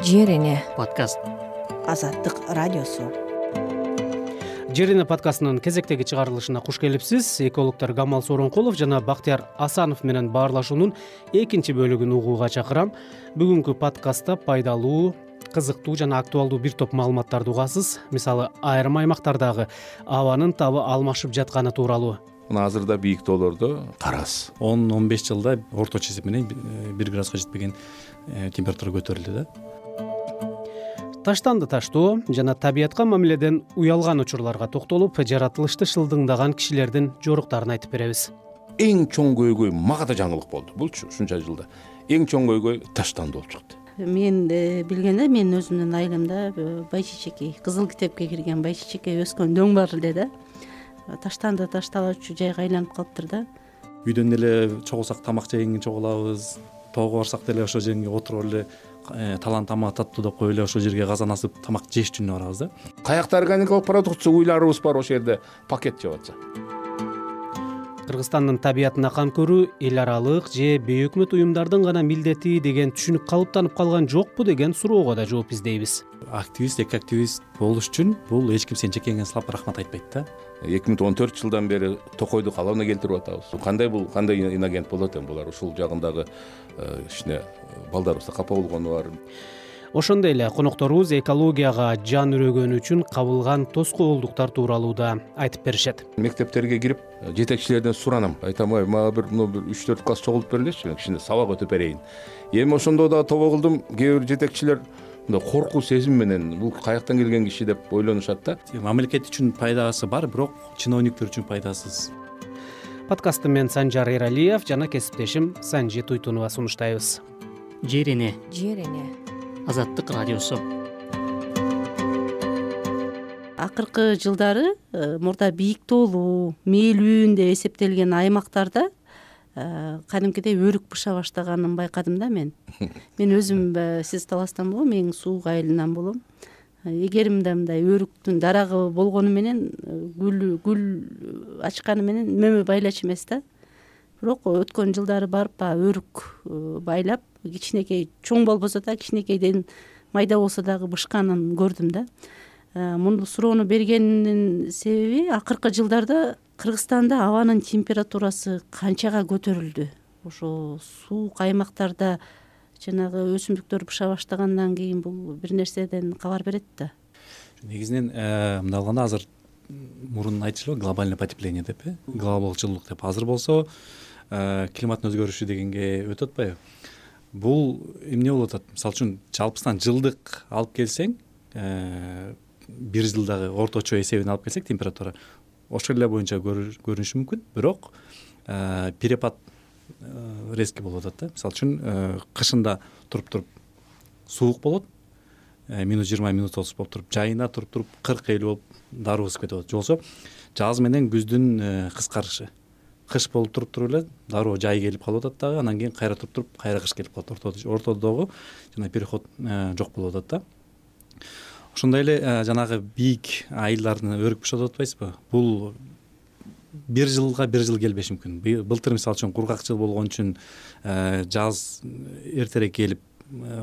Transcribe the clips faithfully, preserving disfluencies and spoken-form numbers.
Жер эне подкаст. Азаттык радиосу. Жер эне подкастынын кезектеги чыгарылышына куш келипсиз. Экологдор Камал Сооронкулов жана Бактияр Асанов менен баарлашуунун экинчи бөлүгүн угууга чакырам. Бүгүнкү подкастта пайдалуу, кызыктуу жана актуалдуу бир топ маалыматтарды угасыз. Мисалы, айрым аймактардагы абанын табы алмашып жатканы тууралуу. Мына азырда бийик тоолордо карас он он беш жылда орточо эсеп менен бир градуска жетпеген температура көтөрүлдү да. Таштанды таштоо жана табиятка мамиледен уялган учурларга токтолуп, жаратылышты шылдыңдаган кишилердин жоруктарын айтып беребиз. Эң чоң көйгөй мага да жаңылык болду. Булчу ушунча жылда эң чоң көйгөй таштанды болуп чыкты. Мен билгенде мен өзүмдүн айылымда байчичекей, кызыл китепке кирген байчичекей өскөн дөң бар эле да. Таштанды ташталуучу жайга айланып калыптыр да. Үйдөн эле чогулсак тамак жегенге чогулабыз, тоого барсак деле ошол жерге отуруп эле талан тамак таттуу деп коюп эле ошол жерге казан асып тамак жеш үчүн барабыз да. Каякта органикалык продукция уйларыбыз бар, ошол жерде пакет жеп атса. Кыргызстандын табиятына кам көрүү эл аралык же бейөкмөт уюмдардын гана милдети деген түшүнүк калыптанып калган жокпу деген суроого да жооп издейбиз. Активист, эки активист болуш үчүн бул эч ким сен жекеңе сылап рахмат айтпайт да. эки миң он төрт жылдан бери токойду калыбына келтирип атабыз. Кандай бул, кандай инагент болот экен булар? Ушул жагындагы кичине балдарыбызда капа болгону бар. Ошондой эле конокторубуз экологияга жан үрөгөнү үчүн кабылган тоскоолдуктар тууралуу да айтып беришет. Мектептерге кирип жетекчилерден суранам. Айтам, ой, мага бир мына бир үч төрт класс чогултуп берилечи, кичине сабак өтүп берейин. Эми ошондо да тобо кылдым. Кээ бир жетекчилер мындай коркуу сезим менен бул каяктан келген киши деп ойлонушат да. Мамлекет үчүн пайдасы бар, бирок чиновниктер үчүн пайдасыз. Подкастты мен Санжар Эралиев жана кесиптешим Санжи Туйтунова сунуштайбыз. Жер эне. Жер эне Азаттык радиосу. Акыркы жылдары мурда бийик тоолуу, мээлүүн деп эсептелген аймактарда кадимкидей өрүк быша баштаганын байкадым да мен. Мен өзүм сиз таластан болом, эң суук айылынан болом. Эгер мындай өрүктүн дарагы болгону менен гүл гүл ачканы менен мөмө байлач эмес да. Бирок өткөн жылдары барып өрүк байлап, кичинекей чоң болбосо да, кичинекейден майда болсо дагы бышканын көрдүм да. Мунду суроону бергенинин себеби акыркы жылдарда Кыргызстанда абанын температурасы канчага көтөрүлдү. Ошо суук аймактарда жанагы өсүмдүктөр быша баштагандан кийин бул бир нерседен кабар берет да. Негизинен мындай алганда азыр мурун айтышылы глобальный потепление деп, э глобалдык жылуулук деп. Азыр болсо климаттын өзгөрүшү дегенге өтүп атпайбы? Бул эмне болуп атат? Мисалы үчүн жалпысынан жылдык алып келсең, бир жылдагы орточо эсебин алып келсек, температура ошол эле боюнча көрүнүшү мүмкүн, бирок перепад резкий болуп атат да. Мисалы үчүн кышында туруп-туруп суук болот, минус жыйырма, минус отуз болуп туруп, жайына туруп-туруп кырк элүү болуп даруу өсүп кетип атат. Жолсо жаз менен күздүн кыскарышы. Кыш болуп туруп-туруп эле дароо жай келип калып атат дагы, анан кийин кайра туруп-туруп кайра кыш келип калат. Ортодогу жана переход жок болуп атат да. Ошондой эле жанагы бийик айылдардын өрүк бышат атпайсызбы? Бул бир жылга бир жыл келбеши мүмкүн. Былтыр мисалы үчүн кургак жыл болгон үчүн жаз эртерээк келип,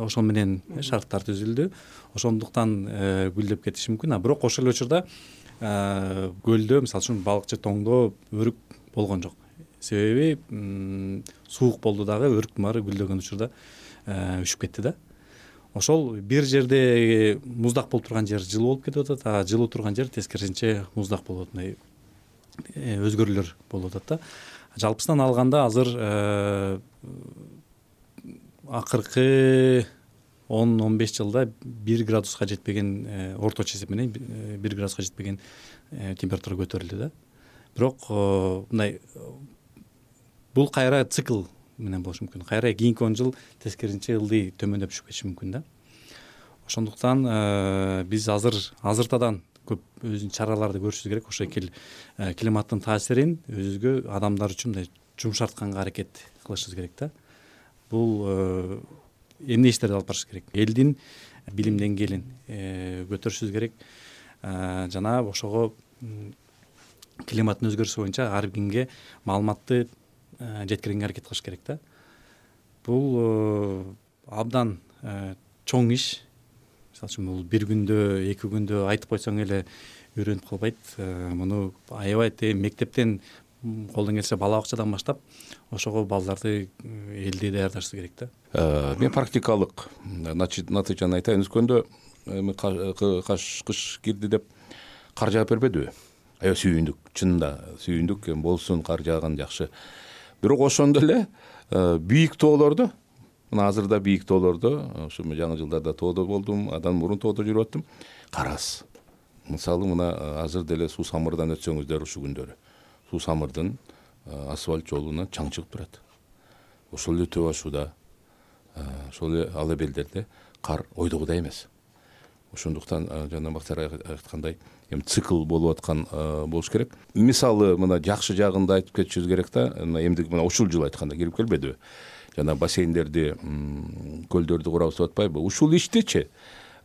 ошол менен шарттар түзүлдү. Ошондуктан гүлдөп кетиши мүмкүн. А бирок ошол эле учурда көлдө мисалы үчүн балыкчы тоңдо өрүк болгон жок. Себеби суук болду дагы, өрүктүн баары гүлдөгөн учурда үшүп кетти да. Ошол бир жерде муздак болуп турган жер жылуу болуп кетип атат, а жылуу турган жер тескерисинче муздак болуп атат. Өзгөрүүлөр болуп атат да. Жалпысынан алганда азыр акыркы он он беш жылда бир градуска жетпеген, орточо эсеп менен бир градуска жетпеген температура көтөрүлдү да. Бирок мындай бул кайра цикл менен болушу мүмкүн. Кайра кийинки он жыл тескерисинче ылдый төмөндөп түшүп кетиши мүмкүн да. Ошондуктан биз азыр азыртадан көп өзүнүн чараларды көрүшүбүз керек. Ошо эки климаттын таасирин өзүбүзгө, адамдар үчүн мындай жумшартканга аракет кылышыбыз керек да. Бул эмне иштерди алып барышыбыз керек? Элдин билим деңгээлин көтөрүшүбүз керек. Жана ошого климаттын өзгөрүшү боюнча ар кимге маалыматты жеткиргенге аракет кылыш керек да. Бул абдан чоң иш, мисалы үчүн бул бир күндө эки күндө айтып койсоң эле үйрөнүп калбайт. Муну аябай тээ мектептен колдон келсе бала бакчадан баштап ошого балдарды элди даярдашыбыз керек да. Мен практикалык натыйжаны айтайын. Өскөндө каш кыш кирди деп кар жаап бербедиби? Аябай сүйүндүк, чынында сүйүндүк, болсун кар жааган жакшы. Бирок ошондо эле бийик тоолордо, мына азырда бийик тоолордо, ушу жаңы жылдарда тоодо болдум, андан мурун тоодо жүрүп аттым. Кар аз. Мисалы мына азыр деле Суу Самырдан өтсөңүздөр ушу күндөрү. Суу Самырдын асфальт жолуна чаң чыгып турат. Ошол эле Төө Ашууда, ошол эле Ала Белдерде кар ойдогудай эмес. Ошондуктан жана Бактияр айткандай, эми цикл болуп аткан болуш керек. Мисалы мына жакшы жагында айтып кетишибиз керек да. Эмдиги мына ушул жыл айтканда кирип келбедиби? Жана бассейндерди, көлдөрдү курабыз деп атпайбы? Ушул иштичи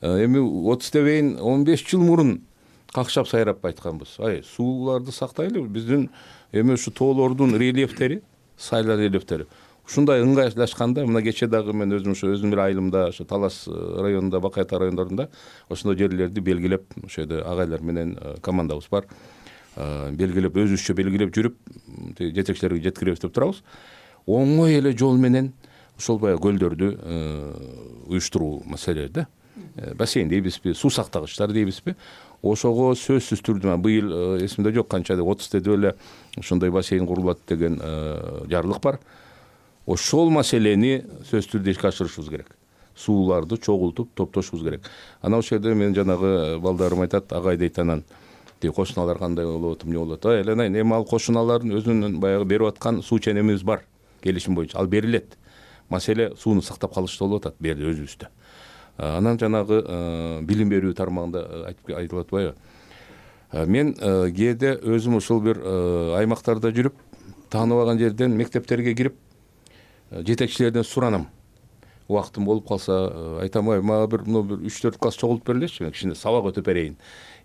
эми отуз дебейин он беш жыл мурун какшап сайрап айтканбыз. Ай, сууларды сактайлы. Биздин эми ушу тоолордун рельефтери, сайлар рельефтери ушундай ыңгайлашканда, мына кече дагы мен өзүм ушу өзүм бир айылымда, ошо Талас районунда, Бакай Ата райондорунда ошондой жерлерди белгилеп, ошо жерде агайлар менен командабыз бар. Белгилеп, өзүбүзчө белгилеп жүрүп, жетекчилерге жеткиребиз деп турабыз. Оңой эле жол менен ошол баягы көлдөрдү уюштуруу маселе да. Бассейн дейбизби, суу сактагычтар дейбизби? Ошого сөзсүз түрдө быйыл эсимде жок канча деп отуз деп эле ошондой бассейн курулат деген жарлык бар. Ошол маселени сөзсүз түрдө ишке ашырышыбыз керек. Сууларды чогултуп топтошубуз керек. Анан ошол жерде мен жанагы балдарым айтат, агай дейт, анан тиги кошуналар кандай болуп атып, эмне болуп атат? Ай, эле эми ал кошуналардын өзүнүн баягы берип аткан суу ченемибиз бар, келишим боюнча. Ал берилет. Маселе сууну сактап калышта болуп атат бу жерде өзүбүздө. Анан жанагы билим берүү тармагында айтып айтылып атпайбы? Мен кээде өзүм ушул бир аймактарда жүрүп, тааныбаган жерден мектептерге кирип, жетекчилерден суранам. Убактым болуп калса, айтам, ай, мага бир мына бир үч төрт класс чогултуп бергилечи, мен кичине сабак өтүп берейин.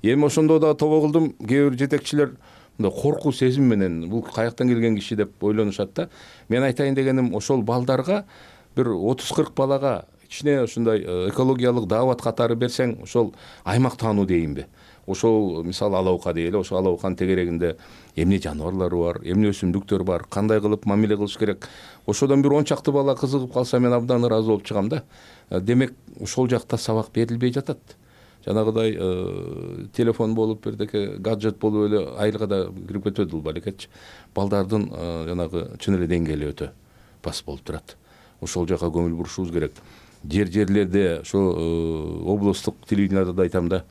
Эми ошондо да тобо кылдым. Кээ бир жетекчилер мындай коркуу сезим менен бул каяктан келген киши деп ойлонушат да. Мен айтайын дегеним, ошол балдарга бир отуз кырк балага кичине ушундай экологиялык даават катары берсең, ошол аймак таануу дейинби? Ошол мисалы Алаука дейли, ошол Алауканын тегерегинде эмне жаныбарлары бар, эмне өсүмдүктөр бар, кандай кылып мамиле кылыш керек. Ошодон бир он чакты бала кызыгып калса, мен абдан ыраазы болуп чыгам да. Демек, ошол жакта сабак берилбей жатат. Жанагыдай телефон болуп, бирдеке гаджет болуп эле айылга да кирип кетет бул балекетчи. Балдардын жанагы чын эле деңгээли өтө пас болуп турат. Ошол жака көңүл бурушубуз керек. Жер-жерлерде ошо облустук телевидениеда да айтам да.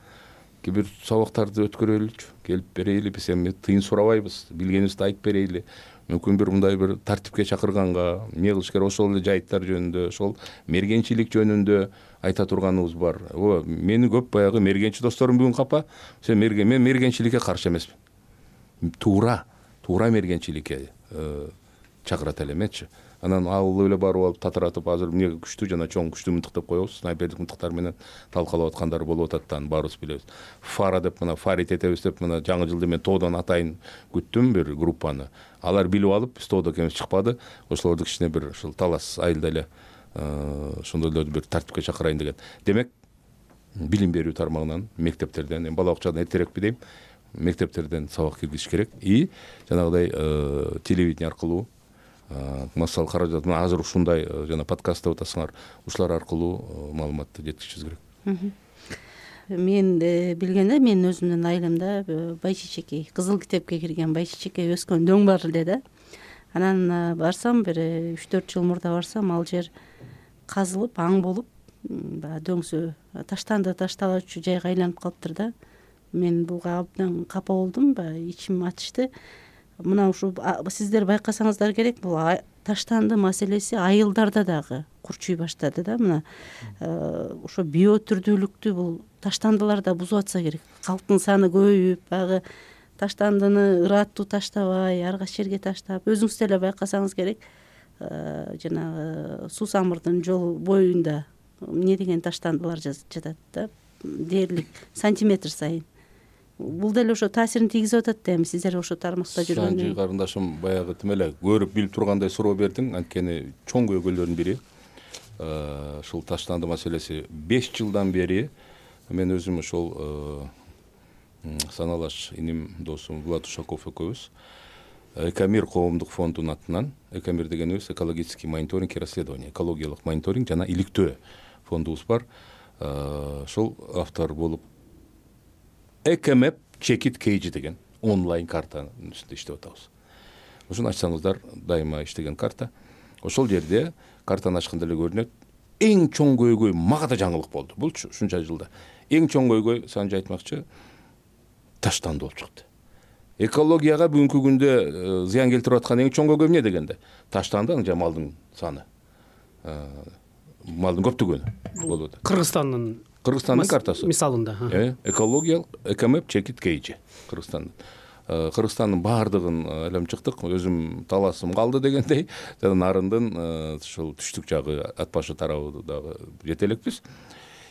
Бир сабактарды өткөрөлүчү, келип берейли, биз эми тыйын сурабайбыз, билгенибизди айтып берейли. Мүмкүн бир мындай бир тартипке чакырганга, эмне кылыш керек, ошол эле жайыттар жөнүндө, ошол мергенчилик жөнүндө айта турганыбыз бар. О, мени көп баягы мергенчи досторум бүгүн капа. Сен мерген, мен мергенчиликке каршы эмесмин. Туура, туура мергенчиликке чакырат элемечи. Анан алып эле барып алып татыратып, азыр эмне күчтүү жана чоң күчтүү мынтык деп коебуз. Снайперлик мынтыктар менен талкалап аткандар болуп атат да, баарыбыз билебиз. Фара деп мына фарит этебиз деп мына жаңы жылды мен тоодон атайын күттүм бир группаны. Алар билип алып, биз тоодо экенибиз чыкпады. Ошолорду кичине бир ушул Талас айылда эле ошондойлорду бир тартипке чакырайын деген. Демек, билим берүү тармагынан, мектептерден, эми бала бакчадан эртерээкпи дейм, мектептерден сабак киргизиш керек. И жанагыдай телевидение аркылуу массалык каражат, азыр ушундай жана подкаст деп атасыңар, ушулар аркылуу маалыматты жеткизишибиз керек. Мен билгенде, мен өзүмдүн айылымда байчичекей, Кызыл китепке кирген байчичекей өскөн дөң бар эле да. Анан барсам, бир үч төрт жыл мурда барсам, ал жер казылып, аң болуп, баягы дөңсө таштанды ташталачу жайга айланып калыптыр да. Мен буга абдан капа болдум, баягы ичим ачышты. Мына ушу сиздер байкасаңыздар керек, бул таштанды маселеси айылдарда дагы курчуй баштады да. Мына ошо биотүрдүүлүктү бул таштандыларда бузуп атса керек. Калктын саны көбөйүп, баягы таштандыны ыраттуу таштабай, ар кайсы жерге таштап, өзүңүз деле байкасаңыз керек, жанагы Суу Самырдын жол боюнда эмне деген таштандылар жатат да, дээрлик сантиметр сайын. Бул деле ошо таасирин тийгизип атат да. Эми сиздер ошо тармакта жүргөндө. Санжи карындашым баягы тим эле көрүп билип тургандай суроо бердиң. Анткени чоң көйгөйлөрдүн бири ушул таштанды маселеси беш жылдан бери мен өзүм ошол саналаш иним досум Влад Ушаков экөөбүз Экомир коомдук фондунун атынан, Экомир дегенибиз экологический мониторинг и расследование, экологиялык мониторинг жана иликтөө фондубуз бар. Ошол автор болуп Экомеп Чекит Кейжи деген онлайн картанын үстүндө иштеп атабыз. Ошону ачсаңыздар, дайыма иштеген карта. Ошол жерде картаны ачканда эле көрүнөт. Эң чоң көйгөй мага да жаңылык болду. Булчу ушунча жылда. Эң чоң көйгөй санжы айтмакчы таштанды болуп чыкты. Экологияга бүгүнкү күндө зыян келтирип аткан эң чоң көйгөй эмне дегенде таштанды жана малдын саны, малдын көптүгүнү болуп атат. Кыргызстандын Кыргызстандын картасы мисалында экологиялык Экомеп Чекит Кейжи Кыргызстандын. Кыргызстандын баардыгын айланып чыктык. Өзүм таласым калды дегендей, жана нарындын ушул түштүк жагы ат башы тарабы дагы жете элекпиз.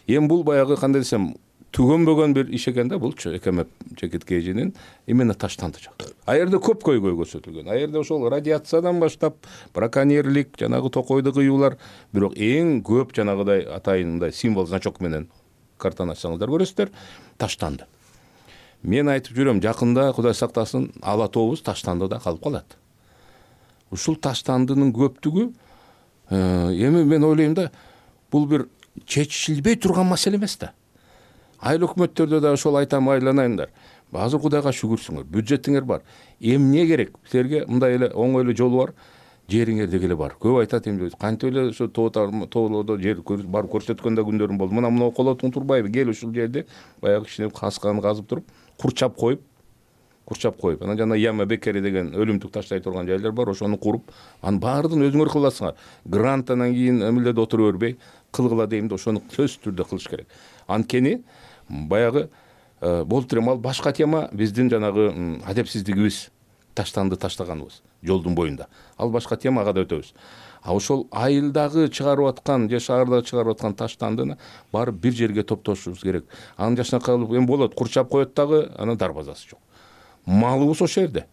Эми бул баягы кандай десем түгөнбөгөн бир иш экен да булчу Экомеп Чекит Кейжинин именно таштанды жагы. А жерде көп көйгөй көрсөтүлгөн. А жерде ошол радиациядан баштап браконьерлик, жанагы токойду кыюулар, бирок эң көп жанагыдай атайын мындай символ значок менен картаны ачсаңыздар көрөсүздөр, таштанды. Мен айтып жүрөм, жакында Кудай сактасын ала тообуз таштандыда калып калат. Ушул таштандынын көптүгү эми мен ойлойм да, бул бир чечилбей турган маселе эмес да. Айыл өкмөттөрдө да ошол айтам, айланайындар. Азыр Кудайга шүгүрсүңөр, бюджетиңер бар. Эмне керек? Силерге мындай эле оңой эле жолу бар, жериңер деги эле бар. Көп айтат эми кантип эле ошо тоолордо жер барып көрсөткөн да күндөрүм болду. Мына мына колотуң турбайбы? Кел ушул жерде баягы кичине касканы казып туруп, курчап коюп, курчап коюп, анан жана яма бекери деген өлүмтүк таштай турган жайлар бар, ошону куруп, анын баардыгын өзүңөр кыласыңар. Грант анан кийин эмилерде отура бербей, кылгыла дейм да, ошону сөзсүз түрдө кылыш керек. Анткени баягы болуп турам, ал башка тема биздин жанагы адепсиздигибиз, таштанды таштаганыбыз жолдун боюнда. Ал башка тема, ага да өтөбүз. А ошол айылдагы чыгарып аткан же шаардагы чыгарып аткан таштандыны барып бир жерге топтошубуз керек. Анын жашнакай кылып эми болот, курчап коет дагы, анан дарбазасы жок. Малыбыз ошол жерде.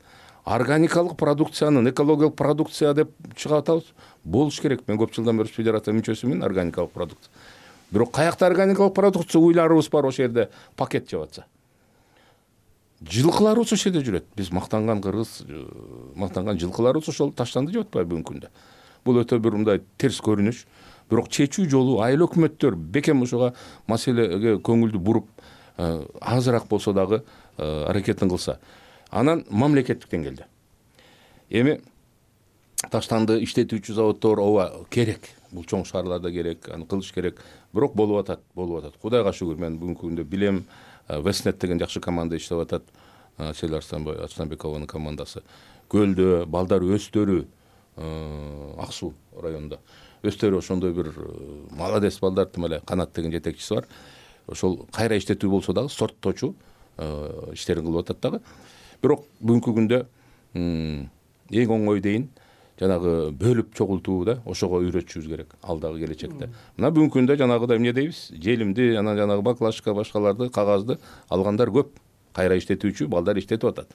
Органикалык продукциянын, экологиялык продукция деп чыгып атабыз. Болуш керек. Мен көп жылдан бери федерация мүчөсүмүн, органикалык продукция. Бирок каякта органикалык продукция уйларыбыз бар ошол жерде пакет жеп атса. Жылкыларыбыз ошол жерде жүрөт. Биз мактанган кыргыз, мактанган жылкыларыбыз ошол таштанды жеп атпайбы бүгүнкү күндө. Бул өтө бир мындай терс көрүнүш. Бирок чечүү жолу айыл өкмөттөр бекем ошого маселеге көңүлдү буруп, азыраак болсо дагы аракетин кылса. Анан мамлекеттик деңгээлде. Эми таштанды иштетүүчү заводдор ооба керек. Бул чоң шаарларда керек, аны кылыш керек. Бирок болуп атат, болуп атат. Кудайга шүгүр, мен бүгүнкү күндө билем, Вестнет деген жакшы команда иштеп атат. Сел Арстанбекованын командасы. Көлдө балдар өстөрү, Ак Суу районунда. Өстөрү ошондой бир молодец балдар, тим эле Канат деген жетекчиси бар. Ошол кайра иштетүү болсо дагы сорттоочу иштерин кылып атат дагы. Бирок бүгүнкү күндө эң оңой дейин жанагы бөлүп чогултуу да, ошого үйрөтүшүбүз керек алдагы келечекте. Мына бүгүнкү күндө жанагыдай эмне дейбиз? Желимди, анан жанагы баклажка башкаларды, кагазды алгандар көп. Кайра иштетүүчү балдар иштетип атат.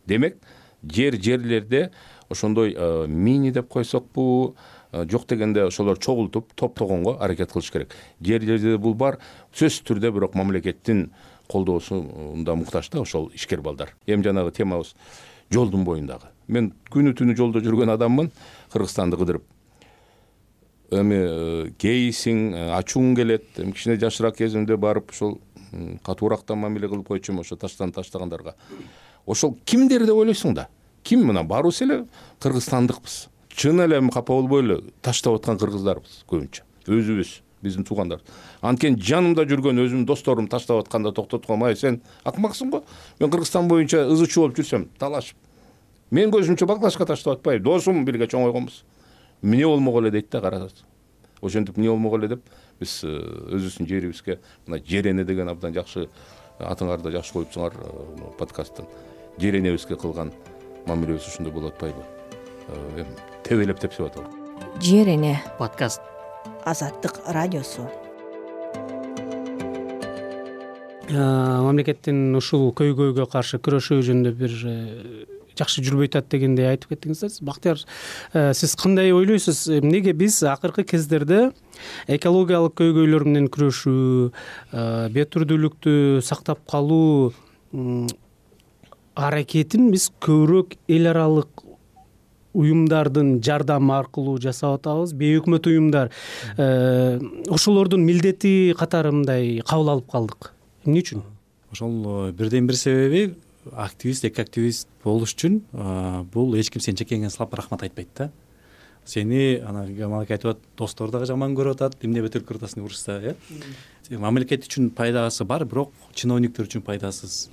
Демек, жер жерлерде ошондой мини деп койсокпу, жок дегенде ошолор чогултуп, топтогонго аракет кылыш керек. Жерлерде бул бар, сөзсүз түрдө, бирок мамлекеттин колдоосунда муктаж да ошол ишкер балдар. Эми жанагы темабыз жолдун боюндагы. Мен күнү түнү жолдо жүргөн адаммын, Кыргызстанды кыдырып. Эми кейсиң, ачууң келет, эми кичине жашыраак кезимде барып ошол катуураактан мамиле кылып койчумун ошо таштан таштагандарга. Ошол кимдер деп ойлойсуң да? Ким мына барыбыз эле кыргызстандыкпыз. Чын эле капа болбой эле таштап аткан кыргыздарбыз көбүнчө. Өзүбүз, биздин туугандар. Анткени жанымда жүргөн өзүмдүн досторум таштап атканда токтотком, ай сен акмаксың го? Мен Кыргызстан боюнча ызычуу болуп жүрсөм, талашып. Мен көзүмчө баклажка таштап атпайбы, досум бирге чоңойгонбуз. Эмне болмок эле дейт да, карасыз. Ошентип эмне болмок эле деп биз өзүбүздүн жерибизге мына Жерене деген абдан жакшы атыңарды жакшы коюпсуңар подкасттын. Жеренебизге кылган мамилебиз ушундай болуп атпайбы? Эми тебелеп тепсип атабы. Жерене подкаст. Азаттык радиосу. Мамлекеттин ушул көйгөйгө каршы күрөшүү жөнүндө бир жакшы жүрбөй атат дегендей айтып кеттиңиздер. Бактияр, сиз кандай ойлойсуз, эмнеге биз акыркы кездерде экологиялык көйгөйлөр менен күрөшүү, бет түрдүүлүктү сактап калуу аракетин биз көбүрөөк эл аралык уюмдардын жардамы аркылуу жасап атабыз, бейөкмөт уюмдар ошолордун милдети катары мындай кабыл алып калдык? Эмне үчүн? Ошол бирден бир себеби, активист, эки активист болуш үчүн бул эч ким сен чекеңе салып рахмат айтпайт да. Сени ана Гамалак айтып атат, достор дагы жаман көрүп атат, эмне бетер көрүп атасың деп урушса, э? Мамлекет үчүн пайдасы бар, бирок чиновниктер үчүн пайдасыз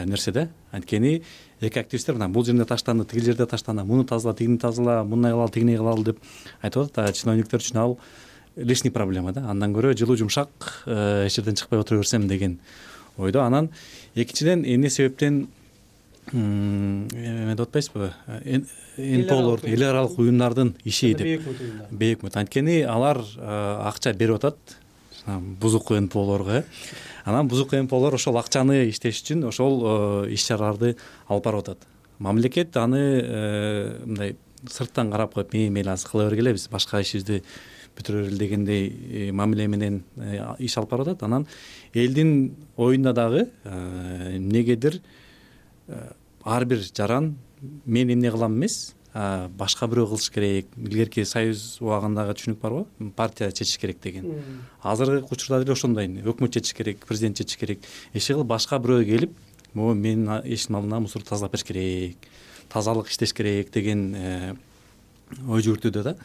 нерсе да. Анткени эки активисттер мына бул жерде таштанды, тиги жерде таштанды, муну тазала, тигини тазала, мындай кылалы, тигини кылалы деп айтып атат. Чиновниктер үчүн ал лишний проблема да. Андан көрө жылуу жумшак эч жерден чыкпай отура берсем деген ойдо. Анан экинчиден эмне себептен эме деп атпайсызбы, энполор, эл аралык уюмдардын иши деп, бейөкмөт. Анткени алар акча берип атат бузуку энполорго. Анан бузуку энполор ошол акчаны иштеш үчүн ошол иш чараларды алып барып атат. Мамлекет аны мындай сырттан карап коюп, мейли азыр кыла бергиле, биз башка ишибизди бүтүрөлү дегендей мамиле менен иш алып барып атат. Анан элдин оюнда дагы эмнегедир ар бир жаран мен эмне кылам эмес, башка бирөө кылыш керек. Илгерки союз убагындагы түшүнүк барбы? Партия чечиш керек деген. Азыркы учурда деле ошондой. Өкмөт чечиш керек, президент чечиш керек. Эч кылып башка бирөө келип, могу менин эшиктин алдына мусор тазалап бериш керек, тазалык иштеш керек деген ой жүгүртүүдө да.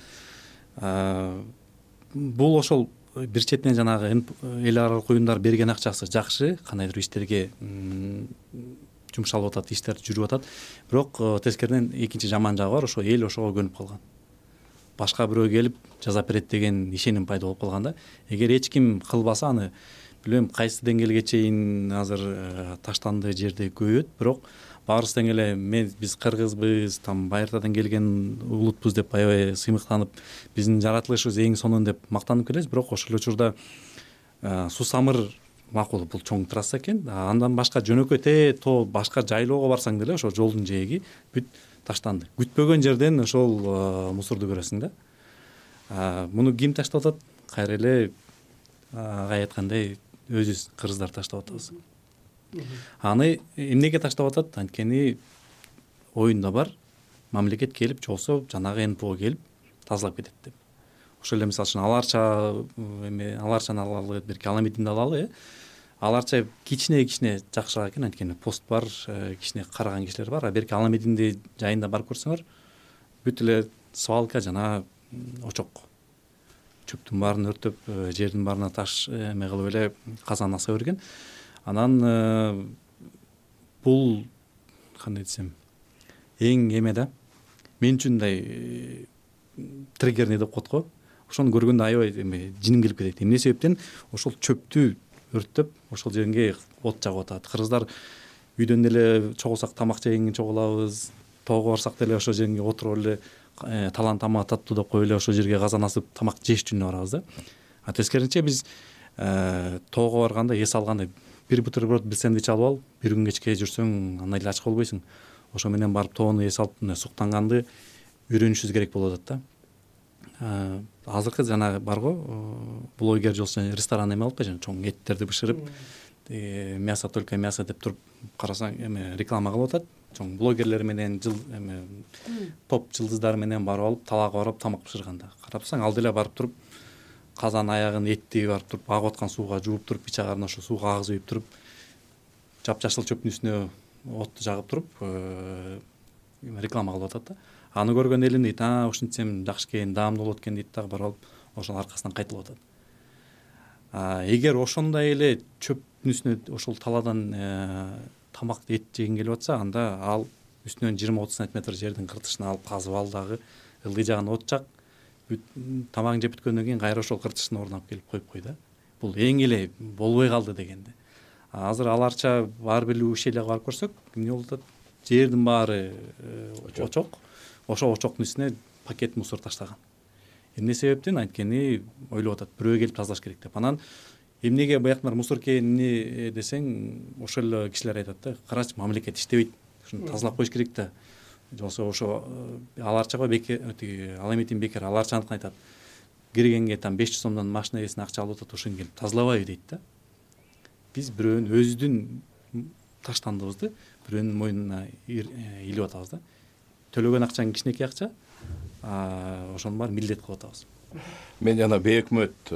Бул ошол бир четинен жанагы эл аралык уюмдар берген акчасы жакшы, кандайдыр иштерге жумшалып атат, иштер жүрүп атат. Бирок тескериден экинчи жаман жагы бар, ошо эл ошого көнүп калган. Башка бирөө келип жазап берет деген ишеним пайда болуп калган да. Эгер эч ким кылбаса, аны билбейм кайсы деңгээлге чейин азыр таштанды жерде көбөйөт, бирок баарыбыздан эле мен биз кыргызбыз, там Байыртадан келген улутпуз деп аябай сыймыктанып, биздин жаратылышыбыз эң сонун деп мактанып келебиз, бирок ошол учурда Сусамыр макул, бул чоң трасса экен. Андан башка жөнөкөй те то башка жайлоого барсаң деле ошо жолдун жээги бүт таштанды. Күтпөгөн жерден ошол мусорду көрөсүң да. Муну ким таштап атат? Кайра эле агай айткандай өзүбүз кыргыздар таштап атабыз. Аны эмнеге таштап атат? Анткени оюнда бар, мамлекет келип жолсо жанагы НПО келип тазалап кетет деп. Ошол эле мисалы үчүн аларча эме аларчаны алалы, бир Каламидинди алалы, э. Аларча кичине-кичине жакшыраак экен, анткени пост бар, кичине караган кишилер бар. А берки Аламидинди жайында барып көрсөңөр, бүт эле свалка жана очок. Чөптүн баарын өртөп, жердин баарына таш эме кылып эле казан аса берген. Анан бул кандай десем, эң эме да. Мен үчүн мындай триггерный деп коет го. Ошону көргөндө аябай эме жиним келип кетет. Эмне себептен ошол чөптү өрттөп, ошол жерге от жагып атат. Кыргыздар үйдөн деле чогулсак тамак жегенге чогулабыз, тоого барсак деле ошол жерге отуруп эле талан тамак таттуу деп коюп эле ошол жерге казан асып тамак жеш үчүн барабыз да. А тескерисинче биз тоого барганда, эс алганда бир бутерброд, бир сэндвич алып ал, бир күн кечке жүрсөң андай эле ач болбойсуң. Ошо менен барып тоону эс алып, суктанганды үйрөнүшүбүз керек болуп атат да. Азыркы жанагы барго, блогер жолсу ресторан эме алып жана чоң эттерди бышырып, мясо только мясо деп туруп карасаң эме реклама кылып атат. Чоң блогерлер менен жыл эме топ жылдыздар менен барып алып, талаага барып тамак бышырганда. Карап турсаң, ал деле барып туруп казан аягын этти барып туруп агып аткан сууга жууп туруп, пичагарын ошо сууга агызып үйүп туруп, жапжашыл чөптүн үстүнө отту жагып туруп реклама кылып атат да. Аны көргөн элим дейт, а ушинтсем жакшы экен, даамдуу болот экен дейт дагы барып алып, ошонун аркасынан кайтылып атат. Эгер ошондой эле чөптүн үстүнө ошол таладан тамак эт жегин келип атса, анда ал үстүнөн жыйырма отуз сантиметр жердин кыртышын алып казып ал дагы ылдый жагын от жак, тамагын жеп бүткөндөн кийин кайра ошол кыртышын орун алып келип коюп кой да. Бул эң эле болбой калды дегенде. Азыр аларча бар бир ушелге барып көрсөк, эмне болуп атат? Жердин баары очок. Ошо очоктун үстүнө пакет мусор таштаган. Эмне себептен? Анткени ойлоп атат, бирөө келип тазалаш керек деп. Анан эмнеге бияктар мусор экени десең, ошол эле кишилер айтат да, карачы, мамлекет иштебейт, ушуну тазалап коюш керек да. же болбосо ошо аларчага бекер тиги ал эметин бекер аларчаныктан айтат, киргенге там беш жүз сомдон машина ээсине акча алып атат, ошон келип тазалабайбы дейт да. Биз бирөөнүн өзүбүздүн таштандыбызды бирөөнүн мойнуна илип атабыз да. Төлөгөн акчаң кичинекей акча, ошонун баарын милдет кылып атабыз. Мен жана бейөкмөт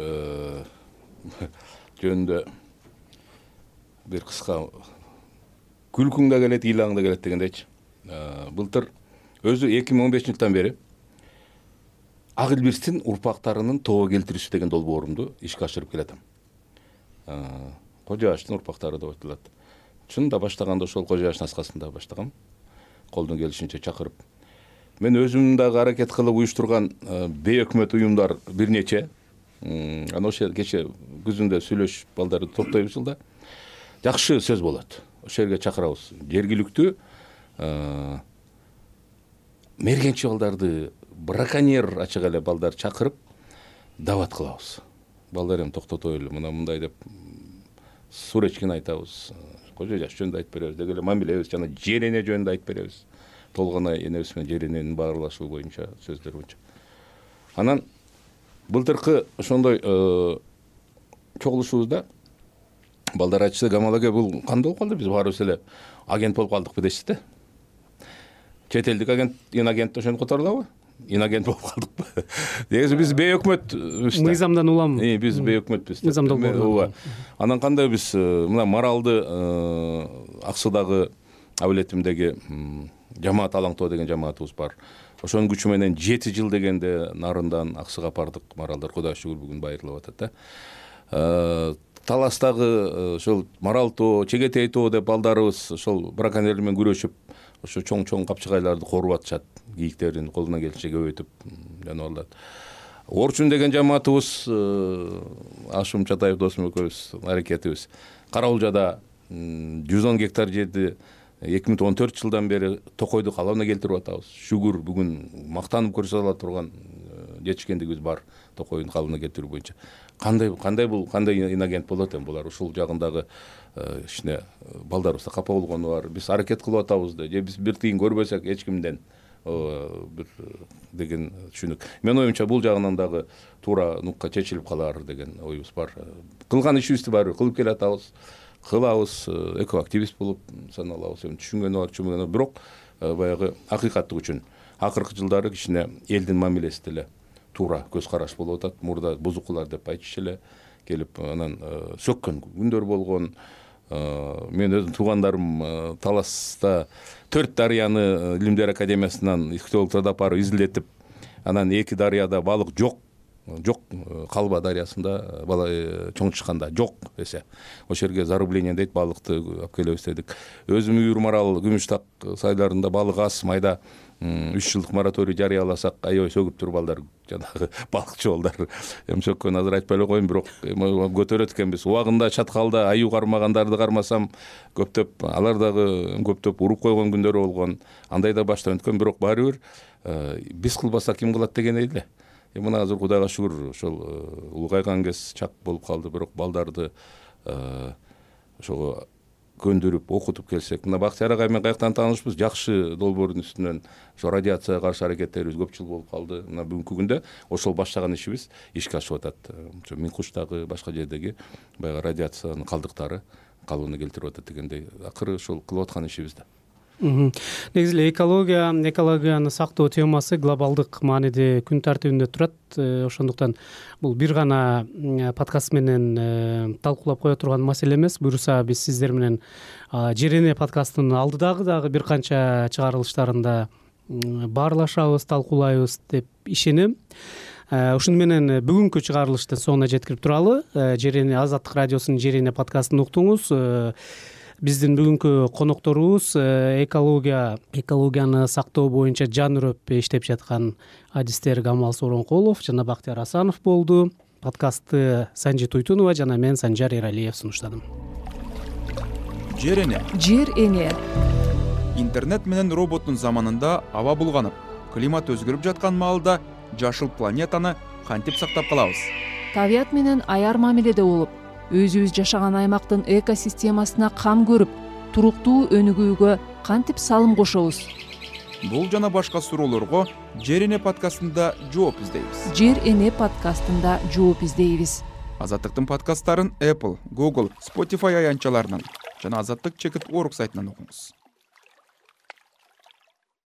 жөнүндө бир кыска күлкүң да келет, ыйлаң да келет дегендейчи. Былтыр өзү эки миң он бешинчи жылдан бери Ак Илбирстин урпактарынын тобо келтирүүсү деген долбоорумду ишке ашырып келатам. Кожо Аштын урпактары деп айтылат. Чынында баштаганда ошол Кожо Аштын аскасында баштагам, колдон келишинче чакырып. Мен өзүм дагы аракет кылып уюштурган бейөкмөт уюмдар бир нече. Анан ошо кече күзүндө сүйлөшүп балдарды топтойбуз жылда. Жакшы сөз болот. Ошол жерге чакырабыз. Жергиликтүү мергенчи балдарды, браконьер ачык эле балдар чакырып дават кылабыз. Балдар эми токтотойлу, мына мындай деп суречкин айтабыз. Кожо Жаш жөнүндө айтып беребиз, деги эле мамилебиз жана жер эне жөнүндө айтып беребиз. Толгонай энебиз менен жер эненин баарлашуу боюнча сөздөр боюнча. Анан былтыркы ошондой чогулушубузда балдар айтышты, Камал аке, бул кандай болуп калды, биз баарыбыз эле агент болуп калдыкпы дешти да. Чет элдик агент, инагент ошону которулабы? Инагент болуп калдыкпы? Негизи биз бейөкмөтбүз. Мыйзамдан уламы? Биз бейөкмөтбүз. Мыйзам долбоору. Анан кандай биз мына Маралды Ак Суудагы абилетимдеги жамаат алаңтоо деген жамаатыбыз бар. Ошонун күчү менен жети жыл дегенде нарындан Аксыга бардык. Маралдар Кудайга шүгүр бүгүн байырылып атат да. Таластагы ошол Марал тоо, Чегетей тоо деп балдарыбыз ошол браконьерлер менен күрөшүп, ошо чоң-чоң капчыгайларды коруп атышат. Кийиктерин колунан келишинче көбөйтүп жаныбарларды. Орчун деген жамаатыбыз, Ашым Чатаев досум экөөбүз аракетибиз. Караулжада жүз он гектар жерди эки миң он төрт жылдан бери токойду калыбына келтирип атабыз. Шүгүр бүгүн мактанып көрсөтө турган жетишкендигибиз бар токойдун калыбына келтирүү боюнча. Кандай кандай бул кандай инагент болот эми булар? Ушул жагындагы ишине балдарыбызда капа болгону бар. Биз аракет кылып атабыз да, же биз бир тыйын көрбөсөк эч кимден бир деген түшүнүк. Мен оюмча бул жагынан дагы туура нукка чечилип калар деген оюбуз бар. Кылган ишибизди баары кылып келатабыз. Кылабыз, экоактивист болуп саналабыз. Эми түшүнгөнү бар, түшүнбөгөнү бар. Бирок баягы акыйкаттык үчүн акыркы жылдары кичине элдин мамилеси деле туура көз караш болуп атат. Мурда бузукулар деп айтышчу эле келип анан сөккөн күндөр болгон. Мен өзүм туугандарым Таласта төрт дарыяны Илимдер академиясынан ихтиологдорду алып барып изилдетип, анан эки дарыяда балык жок. Жок, Калба дарыясында бала чоң чыкканда жок десе. Ошол жерге зарубление дейт, балыкты алып келебиз дедик. Өзүм Үйүр Марал, Күмүштак сайларында балык аз, майда үч жылдык мораторий жарыяласак, аябай сөгүп туруп балдар жанагы балыкчы балдар. Эми сөккөн азыр айтпай эле коеюн, бирок көтөрөт экенбиз. Убагында чаткалда аю кармагандарды кармасам, көптөп алар дагы көптөп уруп койгон күндөрү болгон. Андай да баштан өткөн, бирок баары бир биз кылбасак ким кылат деген эле. Мына азыр Кудайга шүгүр ошол улгайган кез чак болуп калды, бирок балдарды ошого көндүрүп, окутуп келсек. Мына Бактияр агай менен каяктан таанышпыз, жакшы долбоордун үстүнөн ошо радиацияга каршы аракеттерибиз көп жыл болуп калды. Мына бүгүнкү күндө ошол баштаган ишибиз ишке ашып атат. Ошо Минкуштагы башка жердеги баягы радиациянын калдыктары калыбына келтирип атат дегендей, акыры ошол кылып аткан ишибиз да. Негизи эле экология, экологияны сактоо темасы глобалдык мааниде күн тартибинде турат. Ошондуктан бул бир гана подкаст менен талкуулап кое турган маселе эмес. Буюрса биз сиздер менен Жер эне подкастынын алдыдагы дагы бир канча чыгарылыштарында баарлашабыз, талкуулайбыз деп ишенем. Ушуну менен бүгүнкү чыгарылыштын соңуна жеткирип туралы. Жер эне Азаттык радиосунун Жер эне подкастын уктуңуз. Биздин бүгүнкү конокторубуз экология, экологияны сактоо боюнча жан үрөп иштеп жаткан адистер Камал Сооронкулов жана Бактияр Асанов болду. Подкастты Санжи Туйтунова жана мен Санжар Эралиев сунуштадым. Жер эне. Жер эне. Интернет менен роботтун заманында аба булганып, климат өзгөрүп жаткан маалда жашыл планетаны кантип сактап калабыз? Табият менен аяр мамиледе болуп, өзүбүз жашаган аймактын экосистемасына кам көрүп, туруктуу өнүгүүгө кантип салым кошобуз? бул жана башка суроолорго Жер эне подкастында жооп издейбиз. Жер эне подкастында жооп издейбиз. Азаттыктын подкасттарын Apple, Google, Spotify аянтчаларынан жана Азаттык чекит орг сайтынан окуңуз.